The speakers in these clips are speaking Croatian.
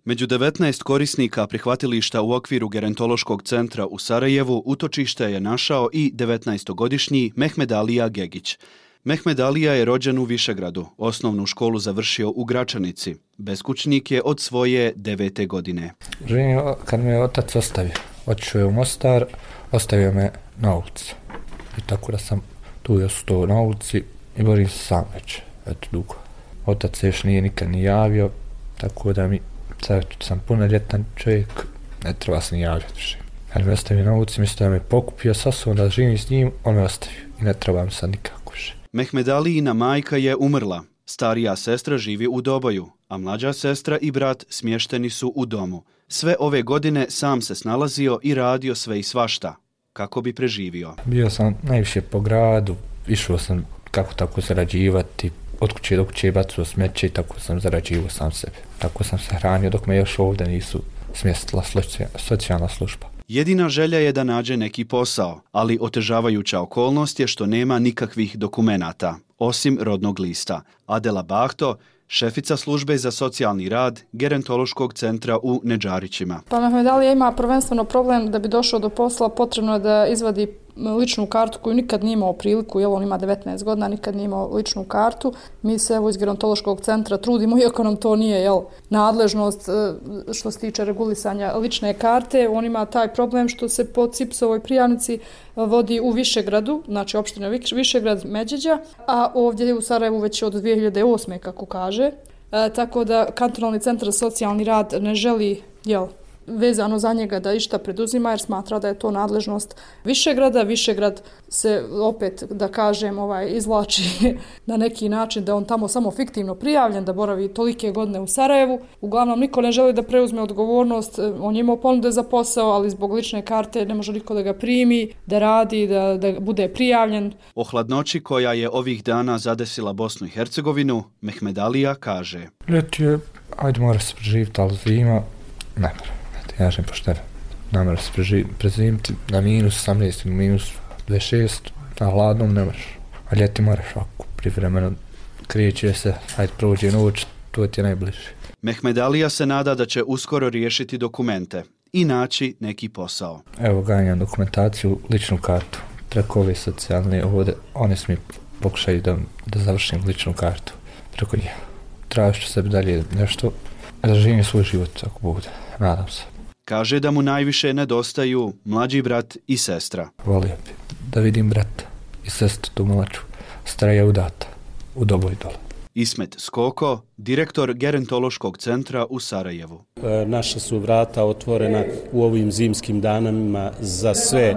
Među 19 korisnika prihvatilišta u okviru Gerontološkog centra u Sarajevu utočište je našao i 19-godišnji Mehmed Alija Gegić. Mehmed Alija je rođen u Višegradu, osnovnu školu završio u Gračanici. Beskućnik je od svoje 9. godine. Živim kad me otac ostavio. Otišao je u Mostar, ostavio me na ulici. I tako da sam tu ostao na ulici i borim se sam već, dugo. Otac se još nije nikad ni javio, tako da sad sam punoljetan čovjek, ne treba se ni javljati više. Kad me ostavio na ulici, mislim da me pokupio sa sobom da živim s njim, on me ostavio i ne trebam sad nikako više. Mehmed Alijina majka je umrla. Starija sestra živi u Doboju, a mlađa sestra i brat smješteni su u domu. Sve ove godine sam se snalazio i radio sve i svašta, kako bi preživio. Bio sam najviše po gradu, išao sam kako tako zarađivati, od kuće do kuće bacao smeće i tako sam zarađivao sam sebe. Tako sam se hranio dok me još ovdje nisu smjestila socijalna služba. Jedina želja je da nađe neki posao, ali otežavajuća okolnost je što nema nikakvih dokumenata, osim rodnog lista. Adela Bahto, šefica službe za socijalni rad Gerontološkog centra u Nedžarićima. Pa Mehmed Alija ima prvenstveno problem da bi došao do posla, potrebno je da izvadi ličnu kartu koju nikad nije imao priliku, on ima 19 godina, nikad nije imao ličnu kartu. Mi se iz Gerontološkog centra trudimo, iako nam to nije nadležnost što se tiče regulisanja lične karte. On ima taj problem što se po CIPS-ovoj prijavnici vodi u Višegradu, znači opština Višegrad Međeđa, a ovdje u Sarajevu već od 2008. kako kaže. Tako da kantonalni centar za socijalni rad ne želi vezano za njega da išta preduzima jer smatra da je to nadležnost Višegrada. Višegrad se opet, da kažem, izvlači na neki način da on tamo samo fiktivno prijavljen, da boravi tolike godine u Sarajevu. Uglavnom niko ne želi da preuzme odgovornost, on je imao ponude za posao, ali zbog lične karte ne može niko da ga primi, da radi, da bude prijavljen. O hladnoći koja je ovih dana zadesila Bosnu i Hercegovinu, Mehmed Alija kaže: Ljeti je, ajde mora se preživiti, ali zima ne mora. Ja žem pošteno. Ne mora se prezimiti na minus 18 ili minus 26, na hladnom ne moraš. A ljeti moraš ako privremeno kreće se, ajde prođe noć, to ti je najbliže. Mehmed Alija se nada da će uskoro riješiti dokumente i naći neki posao. Evo ganjam dokumentaciju, ličnu kartu. Preko ove socijalne ovdje, one su mi pokušaju da završim ličnu kartu. Preko njih. Tražit ću sebi dalje nešto, da živim svoj život ako bude. Nadam se. Kaže da mu najviše nedostaju mlađi brat i sestra. Volio bi da vidim brata i sestru tu mlađu. Stara je udata, u Doboj dole. Ismet Skoko, direktor Gerontološkog centra u Sarajevu. Naša su vrata otvorena u ovim zimskim danima za sve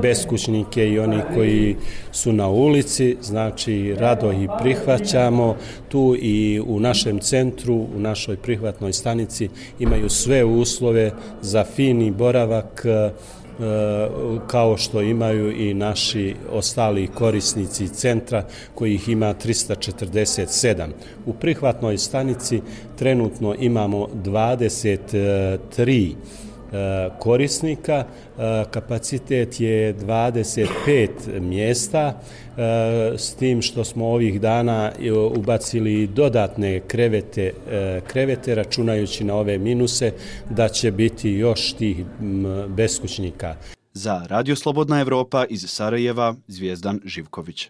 beskućnike i oni koji su na ulici, znači rado ih prihvaćamo. Tu i u našem centru, u našoj prihvatnoj stanici imaju sve uslove za fini boravak, kao što imaju i naši ostali korisnici centra kojih ima 347. U prihvatnoj stanici trenutno imamo 23 korisnika, kapacitet je 25 mjesta, s tim što smo ovih dana ubacili dodatne krevete, računajući na ove minuse da će biti još tih beskućnika. Za Radio Slobodna Evropa iz Sarajeva, Zvijezdan Živković.